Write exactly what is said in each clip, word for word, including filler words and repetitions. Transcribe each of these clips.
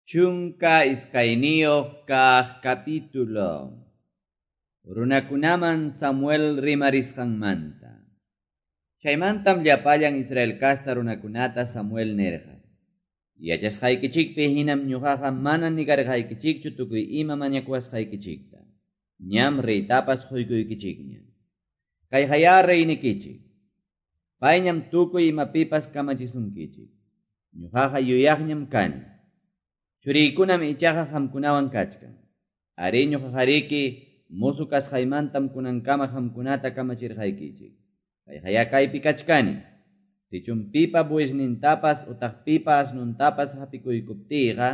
Chunka iskayniyuq kaq capítulo. Runakunaman Samuel rimarisqanmanta. Chaymantam llapallan Israel casta runakunata Samuel nirqa. Yachasqaykichikpi hinam ñuqaqa mana nigarqaykichikchu tukuy ima mañakuwasqaykichikta. Ñam reytapas quykuykichikña. Kayqayá reynikichik. Payñam tukuy imapipas kamachisunkichik. Ñuqaqa yuyaqñam kani. Churiykunam ichaqa qamkunawan kachkan. Ari ñuqaqariki musu kasqaymantam kunankama qamkunata kamachirqaykichik. Kayqayá kaypi kachkani. Sichum pipa buesnintapas utaq pipa asnuntapas hapikuykuptiyqa,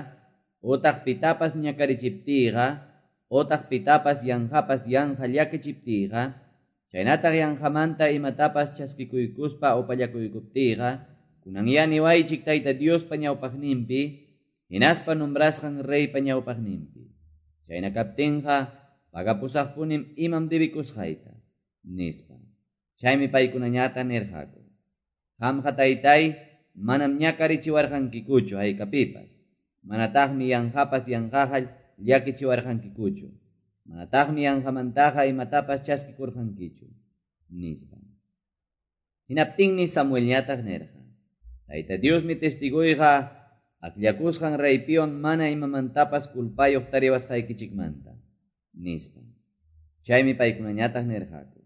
utaq pitapas ñakarichiptiyqa, utaq pitapas yanqapas yanqa llakichiptiyqa, chaynataq yanqamanta imatapas chaskikuykuspa upallakuykuptiyqa, kunanyá niwaychik Tayta Diospa ñawpaqninpi, hinaspa nombrasqan reypa ñawpaqninpi. Chayna kaptinqa pagapusaqpunim imam debikusqayta, nispa. Chaymi paykunañata nirqaku. Qamqa taytay manam ñakarichiwarqankikuchu haykapipas. Manataqmi yanqapas yanqaqa llakichiwarqankikuchu. Manataqmi yanqamantaqa imatapas chaskikurqankichu, nispa. Hinaptinmi Samuelñataq nirqa. Tayta Diosmi testiguyqa akllakusqan reypiwan mana imamantapas kulpayuq tariwasqaykichikmanta, nispa. Chaymi paykunañataq nirqaku.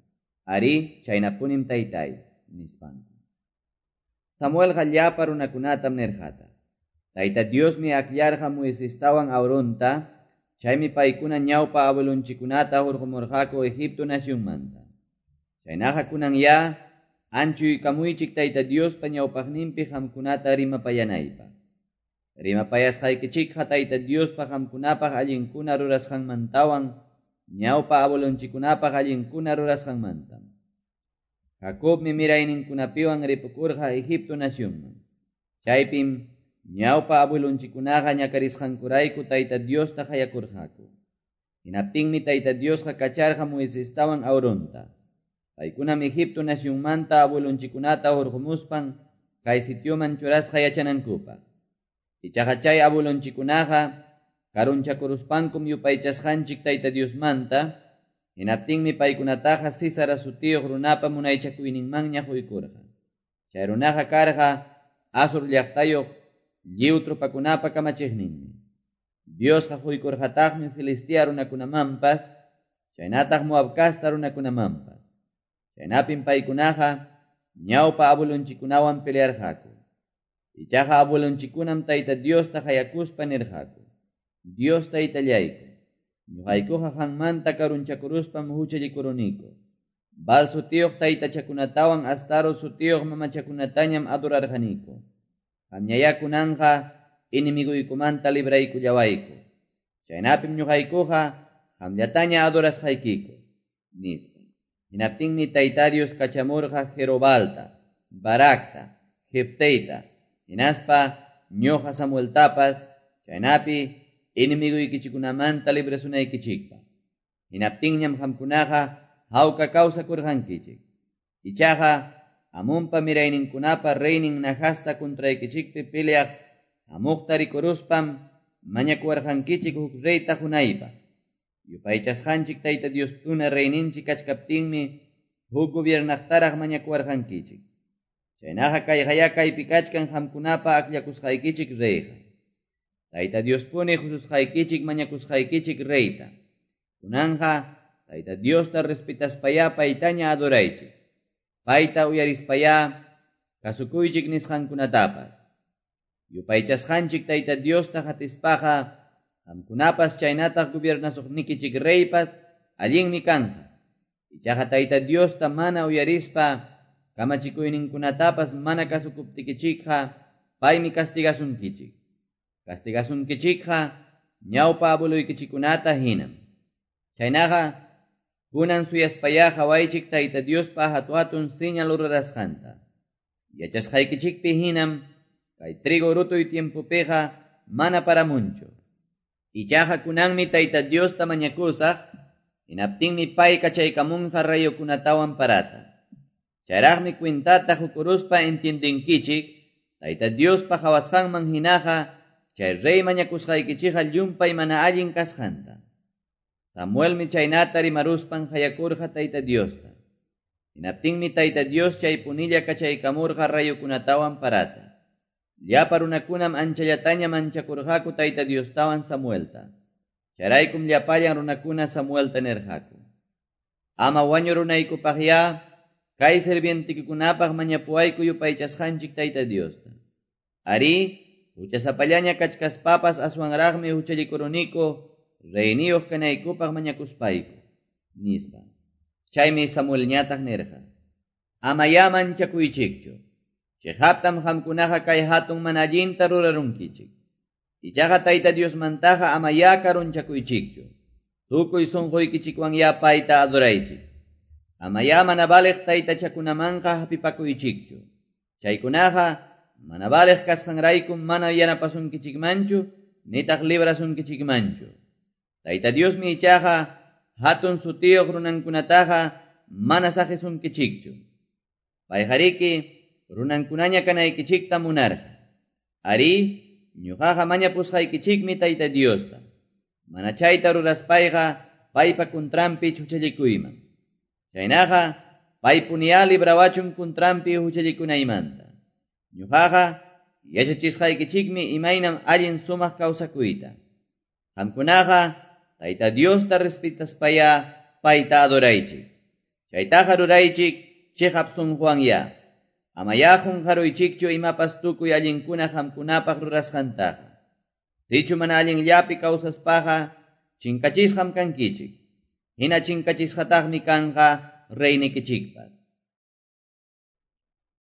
Ari, chaynapunim taytay, nispanku. Samuelqa llapa runakunatam nirqata. Tayta Diosmi akllarqa Moisestawan Aaronta, chaymi paykuna ñawpa abuelonchikunata hurqumurqaku Egipto nacionmanta. Chaynaqa kunanyá anchuykamuychik Tayta Diospa ñawpaqninpi qamkunata rimapayanaypaq. Rimapayasqaykichikqa Tayta Diospa qamkunapaq allinkuna rurasqanmantawan ñawpa abuelonchikunapaq allinkuna rurasqanmantam. Jacobmi mirayninkunapiwan ripukurqa Egipto nacionman. Chaypim ñawpa abuelonchikunaqa ñakarisqankurayku Tayta Diosta qayakurqaku. Hinaptinmi Tayta Diosqa kacharqa Moisestawan Aaronta. Paykunam Egipto nacionmanta abuelonchikunata hurqumuspan kay sitioman churasqa yachanankupaq. Ichaqa chay abuelonchikunaqa karunchakuruspankum yupaychasqanchik Tayta Diosmanta, hinaptinmi paykunataqa Sísara sutiyuq runapa munaychakuyninmanña quykurqa. Chay runaqa karqa Asur llaqtayuq lliw tropakunapa kamachiqninmi. Diosqa quykurqataqmi Filistea runakunamanpas, chaynataq Moab casta runakunamanpas. Chaynapim paykunaqa ñawpa abuelonchikunawan pelearqaku. Ichaqa abuelonchikunam Tayta Diosta qayakuspa nirqaku. Dios Taytallayku, ñuqaykuqa qanmanta karunchakuruspam huchallikuruniku. Baal sutiyuq taytachakunatawan Astaro sutiyuq mamachakunatañam adorarqaniku. Qamñayá kunanqa enemiguykumanta libraykullawayku. Chaynapim ñuqaykuqa qamllataña adorasqaykiku, nispa. Hinaptinmi Tayta Dios kachamurqa Jerobalta, Baracta, Jefteyta, hinaspa ñuqa Samueltapas, chaynapi enemiguykichikunamanta librasunaykichikpaq. Hinaptinñam qamkunaqa hawka kawsakurqankichik. Ichaqa Amonpa mirayninkunapa reynin Nahasta contraykichikpi peleaq hamuqta rikuruspam mañakuwarqankichik huk reyta qunaypaq. Yupaychasqanchik Tayta Diospuna reyninchik kachkaptinmi huk gobiernaqtaraq mañakuwarqankichik. Chaynaqa kayqayá kaypi kachkan qamkunapa akllakusqaykichik reyqa. Tayta Diospuni hususqaykichik mañakusqaykichik reyta. Kunanqa Tayta Diosta respetaspayá paytaña adoraychik. Payta uyarispayá kasukuychik nisqankunatapas. Yupaychasqanchik Tayta Diosta hatispaqa qamkunapas chaynataq gobiernasuqnikichik reypas allinmi kanqa. Ichaqa Tayta Diosta mana uyarispa kamachikuyninkunatapas mana kasukuptikichikqa paymi castigasunkichik. Castigasunkichikqa ñawpa abueluykichikunata hinam. Chaynaqa kunan suyaspayá qawaychik Tayta Diospa hatu-hatun señal rurasqanta. Yachasqaykichikpi hinam kay trigo rutuy tiempopiqa mana paramunchu. Ichaqa kunanmi Tayta Diosta mañakusaq, hinaptinmi pay kachaykamunqa rayukunatawan parata. Chayraqmi kwintata hukuruspa entiendenkichik, Tayta Diospa qawasqanman hinaqa chay rey mañakusqaykichikqa llumpay mana allin kasqanta. Samuelmi chaynata rimaruspan qayakurqa Tayta Diosta. Hinaptinmi Tayta Dios chay punilla kachaykamurqa rayukunatawan parata. Llapa runakunam anchallataña manchakurqaku Tayta Diostawan Samuelta. Chayraykum llapallan runakuna Samuelta nirqaku: Ama wañurunaykupaqyá kay sirvientikikunapaq mañapuwayku yupaychasqanchik Tayta Diosta. Arí, huchasapallaña kachkaspapas aswanraqmi huchallikuruniku reyniyuq kanaykupaq mañakuspayku, nispa. Chaymi Samuelñataq nirqa: Amayá manchakuychikchu. Chiqaptam qamkunaqa kay hatun mana allinta rurarunkichik. Ichaqa Tayta Diosmantaqa amayá karunchakuychikchu. Tukuy sunquykichikwanyá payta adoraychik. Amayá mana valiq taytachakunamanqa hapipakuychikchu. Chaykunaqa mana valiq kasqanraykum mana yanapasunkichikmanchu, nitaq librasunkichikmanchu. Tayta Diosmi ichaqa hatun sutiyuq runankunataqa mana saqisunkichikchu. Payqariki runankunaña kanaykichikta munarqa. Arí, ñuqaqa mañapusqaykichikmi Tayta Diosta. Mana chayta ruraspayqa paypa kuntranpi huchallikuyman. Chaynaqa paypuniyá librawachun kuntranpi huchallikunaymanta. Ñuqaqa yachachisqaykichikmi imaynam allin sumaq kawsakuyta. Qamkunaqa Tayta Diosta respetaspayá payta adoraychik. Chaytaqa ruraychik chiqap sunquwanyá. Amayá qunqaruychikchu imapas tukuy allinkuna qamkunapaq rurasqantaqa. Sichu mana allinllapi kawsaspaqa chinkachisqam kankichik. Hina chinkachisqataqmi kanqa reynikichikpas.